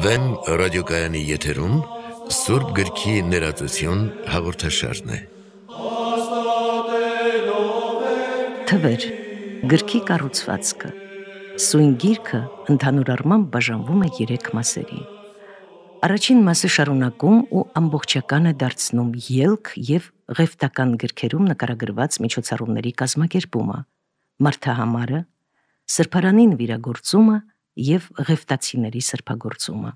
Վեմ ռադիոկայանի եթերում Սուրբ գրքի ներածություն հաղորդաշարն է։ Թվեր, գրքի կառուցվածքը։ Սույն գիրքը ընդհանուր առմամբ բաժանվում է 3 մասերի։ Առաջին մասը շարունակում ու ամբողջական է դարձնում ելք և ղևտական գրքերում նկարագրված միջոցառումների կազմակերպումը, մարդահամարը, սրբարանին վիրագործումը և ղևտացիների սրբագործումը։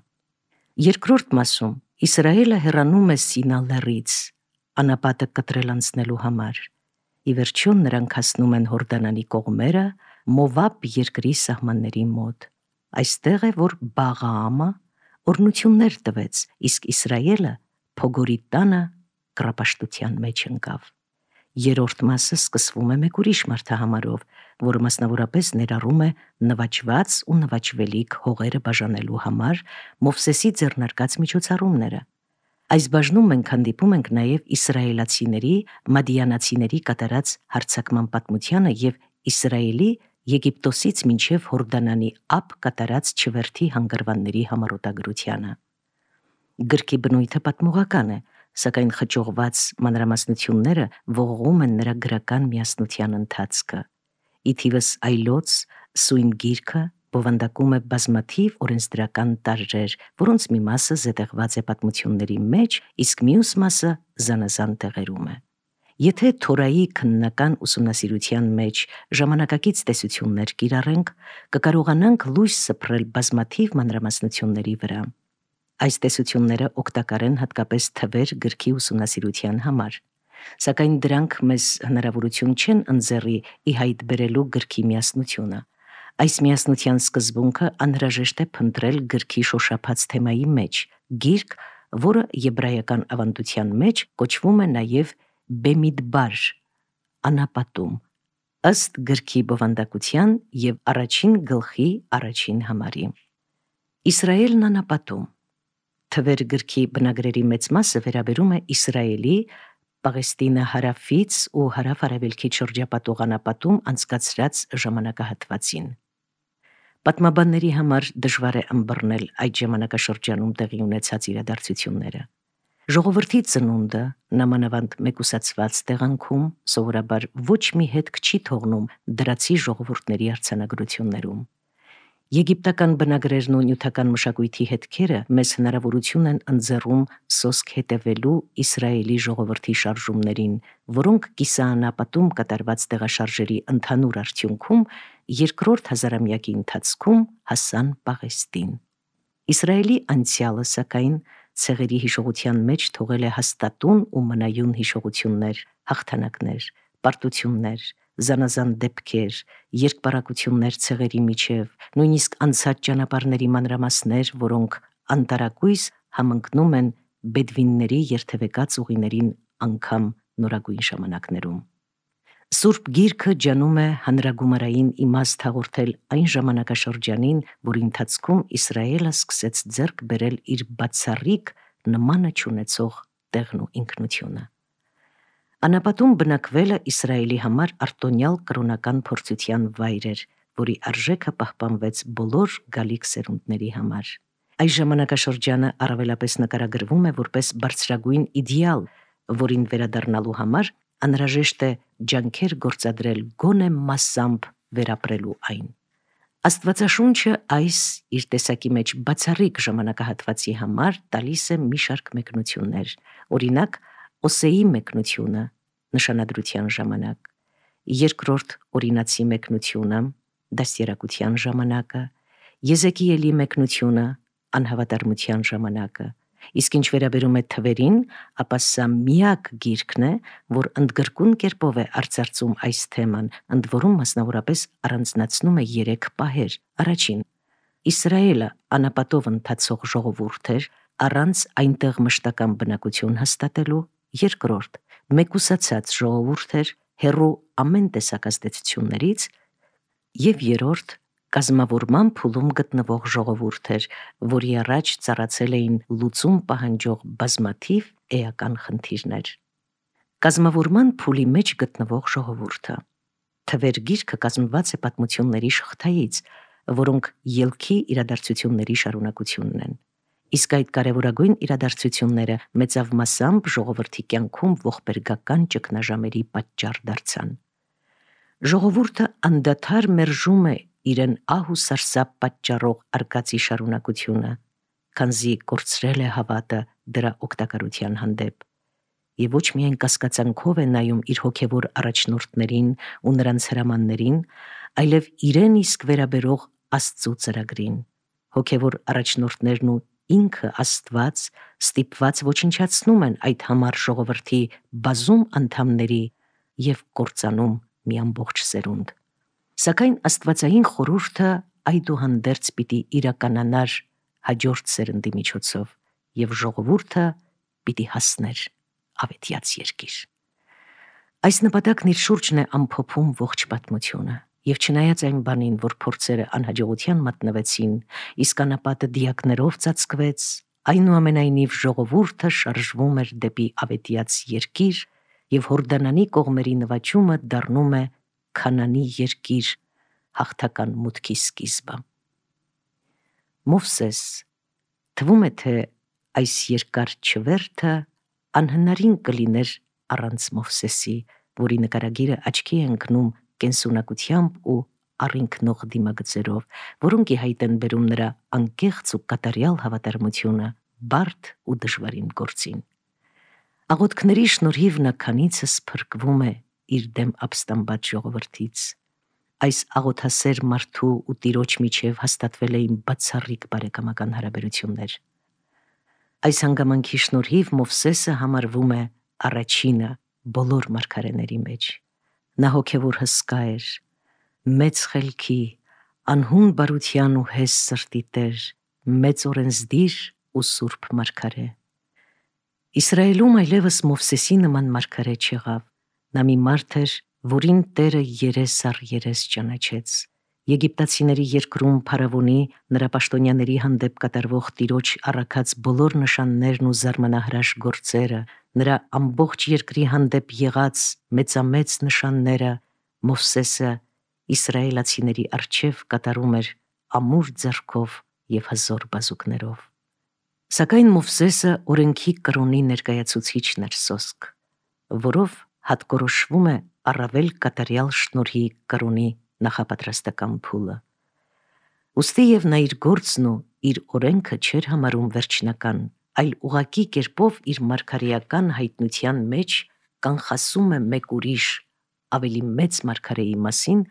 Երկրորդ մասում Իսրայելը հեռանում է Սինա լեռից, անապատը կտրել անցնելու համար։ Ի վերջո նրանք հասնում են Հորդանանի կողմերը, Մովաբ երկրի սահմանների մոտ։ Այստեղ է, որ Բաղաամը օրհնություններ տվեց, իսկ Իսրայելը փոգորի տանը կռապաշտության մեջ ընկավ։ Երրորդ մասը սկսվում է մեկ ուրիշ մարդահամարով, որը մասնավորապես ներառում է նվաճված ու նվաճվելիք հողերը բաժանելու համար Մովսեսի ձեռնարկած միջոցառումները։ Այս բաժնում մենք հանդիպում ենք նաև իսրայելացիների մադիանացիների կատարած հարձակման պատմությանը և Իսրայելի Եգիպտոսից մինչև Հորդանանի ափ կատարած չվերթի հանգրվանների համառոտագրությանը։ Գրքի բնույթը պատմողական է, սակայն խճողված մանրամասնությունները ողողում են նրա գրական միասնության ընթացքը։ Ի թիվս այլոց, սույն գիրքը բովանդակում է բազմաթիվ օրենսդրական տարրեր, որոնց մի մասը զետեղված է պատմությունների մեջ, իսկ մյուս մասը զանազան տեղերում է։ Եթե Թորայի քննական ուսումնասիրության մեջ ժամանակակից տեսություններ կիրառենք, կկարողանանք լույս սփռել բազմաթիվ մանրամասնությունների վրա։ Այս տեսությունները օգտակար են հատկապես թվեր գրքի ուսումնասիրության համար, սակայն դրանք մեզ հնարավորություն չեն ընձեռի ի հայտ բերելու գրքի միասնությունը։ Այս միասնության սկզբունքը անհրաժեշտ է փնտրել գրքի շոշափած թեմայի մեջ, գիրք, որը եբրայական ավանդության մեջ կոչվում է նաև Բեմիդբար, անապատում, ըստ գրքի բովանդակության և առաջին գլխի առաջին համարի։ Իսրայելն անապատում։ Թվեր գրքի բնագրերի մեծ մասը վերաբերում է Իսրայելի Պաղեստինը հարավից ու հարավ-արևելքից շրջապատող անապատում անցկացրած ժամանակահատվածին։ Պատմաբանների համար դժվար է ըմբռնել այդ ժամանակաշրջանում տեղի ունեցած իրադարձությունները։ Ժողովրդի ծնունդը նամանավանդ մեկուսացված տեղանքում սովորաբար ոչ մի հետք չի թողնում դրացի ժողովուրդների արձանագրություններում։ Եգիպտական բնագրերն ու նյութական մշակույթի հետքերը մեզ հնարավորություն են ընձեռում սոսկ հետևելու Իսրայելի ժողովրդի շարժումներին, որոնք կիսաանապատում կատարված տեղաշարժերի ընդհանուր արդյունքում երկրորդ հազարամյակի ընթացքում հասան Պաղեստին։ Իսրայելի անցյալը, սակայն, ցեղերի հիշողության մեջ թողել է հաստատուն ու մնայուն հիշողություններ, հաղթանակներ, պարտություններ, զանազան դեպքեր, երկպարակություններ ցեղերի միջև, նույնիսկ անցած ճանապարհների մանրամասներ, որոնք անտարակույս համընկնում են բեդվինների երթևեկած ուղիներին անգամ նորագույն ժամանակներում։ Սուրբ գիրքը ջանում է հանրագումարային իմաստ հաղորդել այն ժամանակաշրջանին, որի ընթացքում Իսրայելը սկսեց ձեռք բերել իր բացառիկ նմանը չունեցող տեղն ու ինքնությունը։ Անապատում բնակվելը Իսրայելի համար արտոնյալ կրոնական փորձության վայր էր, որի արժեքը պահպանվեց բոլոր գալիք սերունդների համար։ Այս ժամանակաշրջանը առավելապես նկարագրվում է որպես բարձրագույն իդեալ, որին վերադառնալու համար անհրաժեշտ է ջանքեր գործադրել գոնե մասամբ վերապրելու այն։ Աստվածաշունչը այս իր տեսակի մեջ բացառիկ ժամանակահատվածի համար տալիս է մի շարք մեկնություններ, օրինակ Օսեի մեկնությունը նշանադրության ժամանակ, երկրորդ օրինացի մեկնությունը դաստիարակության ժամանակը, Եզեկիելի մեկնությունը անհավատարմության ժամանակը, իսկ ինչ վերաբերում է թվերին, ապա սա միակ գիրքն է, որ ընդգրկուն կերպով է արծարծում այս թեման, ընդ որում մասնավորապես առանձնացնում է 3 պահեր։ Առաջին, Իսրայելը անապատով ընթացող ժողովուրդ էր, առանց այնտեղ մշտական բնակություն հաստատելու։ Երկրորդ, մեկուսացած ժողովուրդ էր, հեռու ամեն տեսակ ազդեցություններից։ Եվ երրորդ, կազմավորման փուլում գտնվող ժողովուրդ էր, որի առաջ ծառացել էին լուծում պահանջող բազմաթիվ էական խնդիրներ։ Կազմավորման փուլի մեջ գտնվող ժողովուրդը։ Թվեր գիրքը կազմված է պատմությունների շղթայից, որոնք ելքի իրադարձությունների շարունակությունն են։ Իսկ այդ կարևորագույն իրադարձությունները մեծավ մասամբ ժողովրդի կյանքում ողբերգական ճգնաժամերի պատճառ դարձան։ Ժողովուրդը անդադար մերժում է իրեն ահ ու սարսափ պատճառող արկածի շարունակությունը, քանզի կորցրել է հավատը դրա օգտակարության հանդեպ, եւ ոչ միայն կասկածանքով է նայում իր հոգևոր առաջնորդներին ու նրանց հրամաններին, այլև իրեն իսկ վերաբերող Աստծո ծրագրին։ Հոգևոր առաջնորդներն ու ինքը Աստված ստիպված ոչնչացնում են այդ համառ ժողովրդի բազում անդամների եւ կործանում մի ամբողջ սերունդ։ Սակայն աստվածային խորհուրդը այդուհանդերձ պիտի իրականանար հաջորդ սերնդի միջոցով եւ ժողովուրդը պիտի հասներ ավետյաց երկիր։ Այս նպատակն իր շուրջն է ամփոփում ողջ պատմությունը, եւ չնայած այն բանին, որ փորձերը անհաջողության մատնվեցին, իսկ անապատը դիակներով ծածկվեց, այնուամենայնիվ ժողովուրդը շարժվում էր դեպի ավետյաց երկիր, եւ Հորդանանի կողմերի նվաճումը դառնում է Քանանի երկիր, հաղթական մուտքի սկիզբը։ Մովսես, թվում է, թե այս երկար չվերթը անհնարին կլիներ առանց Մովսեսի, որի նկարագիրը աչքի է ընկնում կենսունակությամբ ու առինքնող դիմագծերով, որոնք ի հայտ են բերում նրա անկեղծ ու կատարյալ հավատարմությունը բարդ ու դժվարին գործին։ Աղոթքների շնորհիվ նա քանիցս փրկվում է իր դեմ ապստամբած ժողովրդից։ Այս աղոթասեր մարդու ու Տիրոջ միջև հաստատվել էին բացառիկ բարեկամական հարաբերություններ։ Այս հանգամանքի շնորհիվ Մովսեսը համարվում է առաջինը բոլոր մարգարեների մեջ։ Նա հոգևոր հսկա էր, մեծ խելքի, անհուն բարության ու հես սրտի տեր, մեծ օրենսդիր ու սուրբ մարգարե։ Իսրայելում այլևս Մովսեսի նման մարգարե չեղավ։ Նա մի մարդ էր, որին Տերը երես առ երես ճանաչեց։ Եգիպտացիների երկրում փարավոնի նրա պաշտոնյաների հանդեպ կատարվող Տիրոջ առաքած բոլոր նշաններն ու զարմանահրաշ գործերը, նրա ամբողջ երկրի հանդեպ եղած մեծամեծ նշանները Մովսեսը իսրայելացիների առջև կատարում էր ամուր ձեռքով եւ հզոր բազուկներով։ Սակայն Մովսեսը օրենքի կրոնի ներկայացուցիչն էր սոսկ, որով հատկորոշվում է առավել կատարյալ շնորհի կրոնի նախապատրաստական փուլը։ Ուստի եւ նա իր գործն ու իր օրենքը չէր համարում վերջնական, այլ ուղղակի կերպով իր մարգարեական հայտնության մեջ կանխասում է մեկ ուրիշ, ավելի մեծ մարգարեի մասին,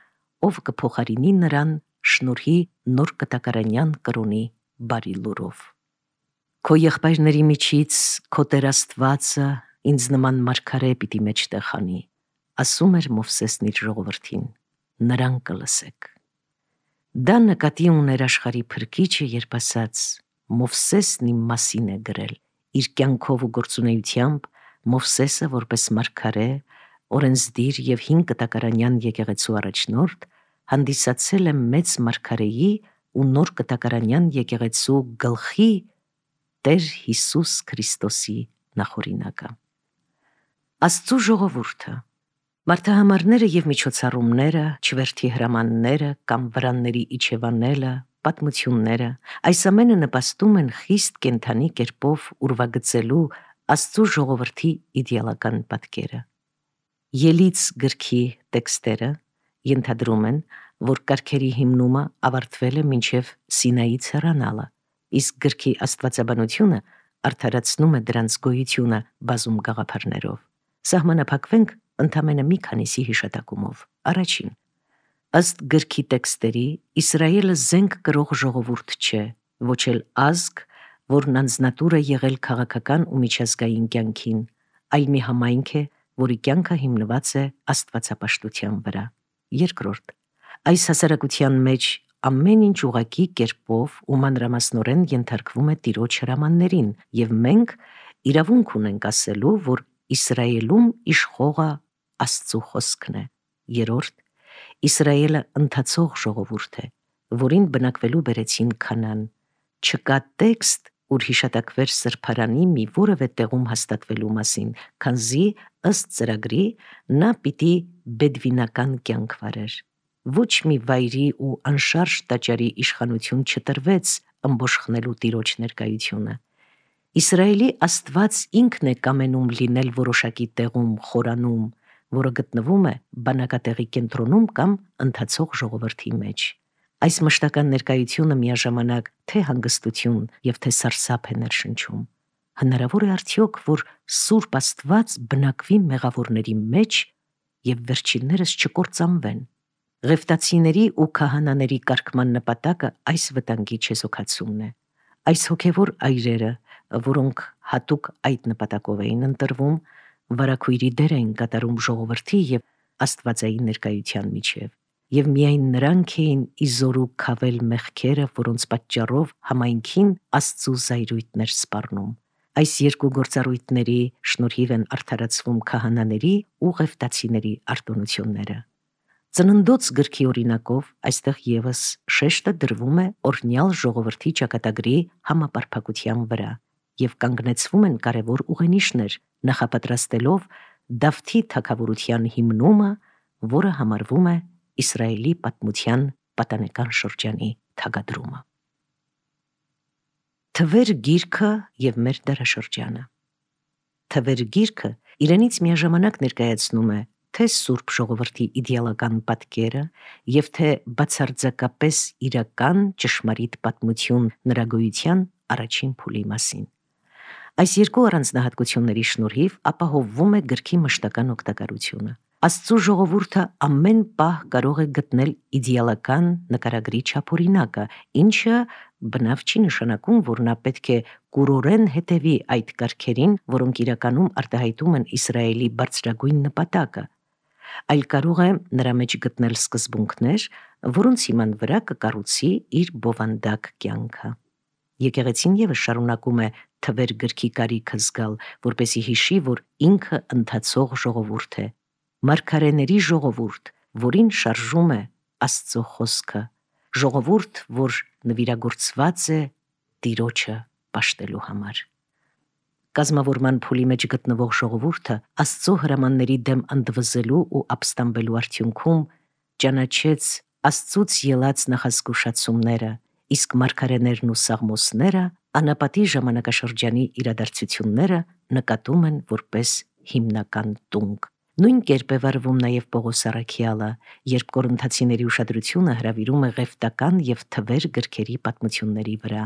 ով կփոխարինի նրան շնորհի նոր կտակարանյան կրոնի բարի լուրով։ Քո եղբայրների միջից քո Տեր Աստվածը ինձ նման մարգարե պիտի մեջտեղ անի, ասում էր Մովսեսն իր ժողովրդին, նրան կլսեք։ Դա նկատի ուներ աշխարհի փրկիչը, երբ ասաց. Մովսեսն իմ մասին է գրել, իր կյանքով ու գործունեությամբ Մովսեսը որպես մարգարե, օրենսդիր եւ 5 կտակարանյան եկեղեցու առաջնորդ հանդիսացել է մեծ մարգարեի ու նոր կտակարանյան եկեղեցու գլխի Տեր Հիսուս Քրիստոսի նախօրինակը։ Աստծո ժողովուրդը, մարդահամարները եւ միջոցառումները, չվերթի հրամանները կամ վրանների իջևանելը, պատմությունները, այս ամենը նպաստում են խիստ կենդանի կերպով ուրվագծելու Աստծո ժողովրդի իդեալական պատկերը։ Ելից գրքի տեքստերը ենթադրում են, որ կարգերի հիմնումը ավարտվել է մինչև Սինայից հեռանալը, իսկ գրքի աստվածաբանությունը արդարացնում է դրանց գոյությունը բազում գաղափարներով։ Սահմանափակվենք ընդամենը մի քանիսի հիշատակումով։ Առաջին, ըստ գրքի տեքստերի, Իսրայելը զենք կրող ժողովուրդ չէ, ոչ էլ ազգ, որն անձնատուր է եղել քաղաքական ու միջազգային կյանքին, այլ մի համայնք է, որի կյանքը հիմնված է աստվածապաշտության վրա։ Երկրորդ, այս հասարակության մեջ ամեն ինչ ուղղակի կերպով ու մանրամասնորեն ենթարկվում է Տիրոջ հրամաններին, եւ մենք իրավունք ունենք ասելու, որ Իսրայելում իշխողը Աստծո խոսքն է։ Երրորդ, Իսրայելը ընթացող ժողովուրդ է, որին բնակվելու բերեցին Քանան։ Չկա տեքստ, ուր հիշատակվեր սրբարանի մի որևէ տեղում հաստատվելու մասին, քանզի ըստ ծրագրի նա պիտի բեդվինական կյանք վարեր։ Ոչ մի վայրի ու անշարժ տաճարի իշխանություն չտրվեց ըմբոշխնելու տիրոջ ներկայությունը։ Իսրայելի Աստված ինքն է կամենում լինել որոշակի տեղում, խորանում, որը գտնվում է բանակատեղի կենտրոնում կամ ընթացող ժողովրդի մեջ։ Այս մշտական ներկայությունը միաժամանակ թե հանգստություն եւ թե սարսափ է ներշնչում։ Հնարավոր է արդյոք, որ Սուրբ Աստված բնակվի մեղավորների մեջ եւ վերջիններս չկործանվեն։ Ղևտացիների ու քահանաների կարգման նպատակը այս վտանգի չեզոքացումն է։ Այս հոգևոր այրերը, որոնք հատուկ այդ նպատակով էին ընտրվում, վարագույրի դեր էին կատարում ժողովրդի եւ Աստվածային ներկայության միջև, եւ միայն նրանք էին իզորու քավել մեղքերը, որոնց պատճառով համայնքին Աստծու զայրույթներ սպառնում։ Այս երկու գործառույթների շնորհիվ են արդարացվում քահանաների ու ղևտացիների արտոնությունները։ Ծննդոց գրքի օրինակով այստեղ եւս շեշտը դրվում է օրհնյալ ժողովրդի ճակատագրի համապարփակության վրա եւ կանգնեցվում են կարևոր ուղենիշներ, նախապատրաստելով Դավթի թագավորության հիմնումը, որը համարվում է Իսրայելի պատմության պատանեկան շրջանի թագադրումը։ Թվեր գիրքը եւ մեր դարաշրջանը։ Թվեր գիրքը իրենից միաժամանակ ներկայացնում է թե Սուրբ ժողովրդի իդեալական պատկերը եւ թե բացարձակապես իրական ճշմարիտ պատմություն նրա գոյության առաջին փուլի մասին։ Այս երկու առանձնահատկությունների շնորհիվ ապահովվում է գրքի մշտական օգտակարությունը։ Աստծու ժողովուրդը ամեն պահ կարող է գտնել իդեալական նկարագրի չափօրինակը, ինչը բնավ չի նշանակում, որ նա պետք է կուրորեն հետևի այդ կարգերին, որոնք իրականում արտահայտում են Իսրայելի բարձրագույն նպատակը, այլ կարող է նրա մեջ գտնել սկզբունքներ, որոնց հիման վրա կկառուցի իր բովանդակ կյանքը։ Եկեղեցին եւս շարունակում է թվեր գրքի կարիքը զգալ, որպեսզի հիշի, որ ինքը ընթացող ժողովուրդ է, մարգարեների ժողովուրդ, որին շարժում է Աստծո խոսքը, ժողովուրդ, որ նվիրագործված է Տիրոջը պաշտելու համար։ Կազմավորման փուլի մեջ գտնվող ժողովուրդը Աստծո հրամանների դեմ ընդվզելու ու ապստամբելու արդյունքում ճանաչեց Աստծուց ելած նախազգուշացումները, իսկ մարգարեներն ու սաղմոսները անապատի ժամանակաշրջանի իրադարձությունները նկատում են որպես հիմնական տունկ։ Նույն կերպ է վարվում նաև Պողոս առաքյալը, երբ Կորինթացիների ուշադրությունը հրավիրում է ղևտական եւ թվեր գրքերի պատմությունների վրա։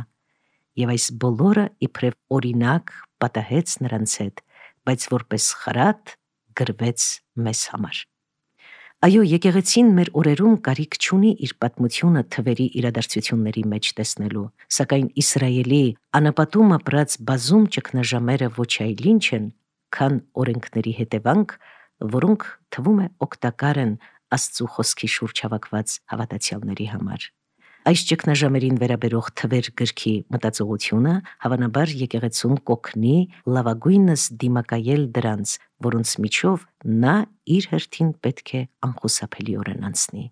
Եվ այս բոլորը իբրև օրինակ պատահեց նրանց հետ, բայց որպես խրատ գրվեց մեզ համար։ Այո, եկեղեցին մեր օրերում կարիք չունի իր պատմությունը թվերի իրադարձությունների մեջ տեսնելու, սակայն Իսրայելի անապատում ապրած բազում ճգնաժամերը ոչ այլ ինչ են, քան օրենքների հետևանք, որոնք թվում է օգտակար են Աստծու խոսքի շուրջ հավաքված հավատացյալների համար։ Այս ճգնաժամերին վերաբերող թվեր գրքի մտածողությունը հավանաբար եկեղեցուն կօգնի լավագույնս դիմակայել դրանց, որոնց միջով նա իր հերթին պետք է անխուսափելիորեն անցնի։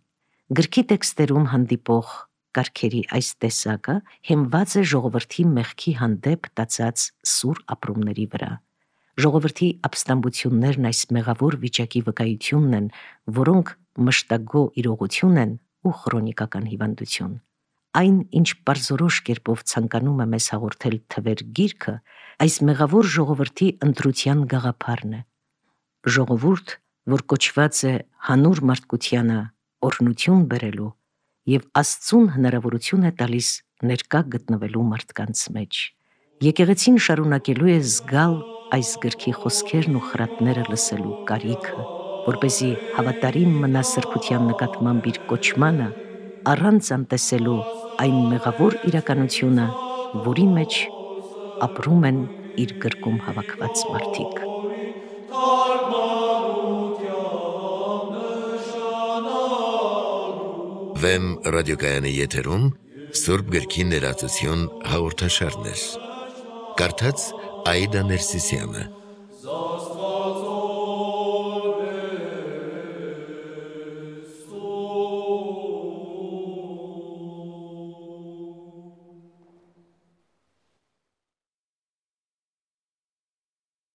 Գրքի տեքստերում հանդիպող կարգերի այս տեսակը հիմնված է ժողովրդի մեղքի հանդեպ տածած սուր ապրումների վրա։ Ժողովրդի ապստամբություններն այս մեղավոր վիճակի վկայությունն են, որոնք մշտագո իրողություն են ու քրոնիկական հիվանդություն։ Այն, ինչ բարձրորոշ կերպով ցանկանում է մեզ հաղորդել թվեր գիրքը, այս մեղավոր ժողովրդի ընտրության գաղափարն է։ Ժողովուրդ, որ կոչված է հանուր մարդկությանը օրհնություն բերելու եւ Աստծուն հնարավորություն է տալիս ներկա գտնվելու մարդկանց մեջ։ Եկեղեցին շարունակելու է զգալ այս գրքի խոսքերն ու խրատները լսելու կարիքը, որպեսզի հավատարիմ մնա սրբության նկատմամբ իր կոչմանը, առանց անտեսելու այն մեղավոր իրականությունը, որի մեջ ապրում են իր գրկում հավաքված մարդիկ։ Վեմ ռադիոկայանի եթերում Սուրբ գրքի ներածություն հաղորդաշարներ։ Կարդաց Աիդա Ներսիսյանը։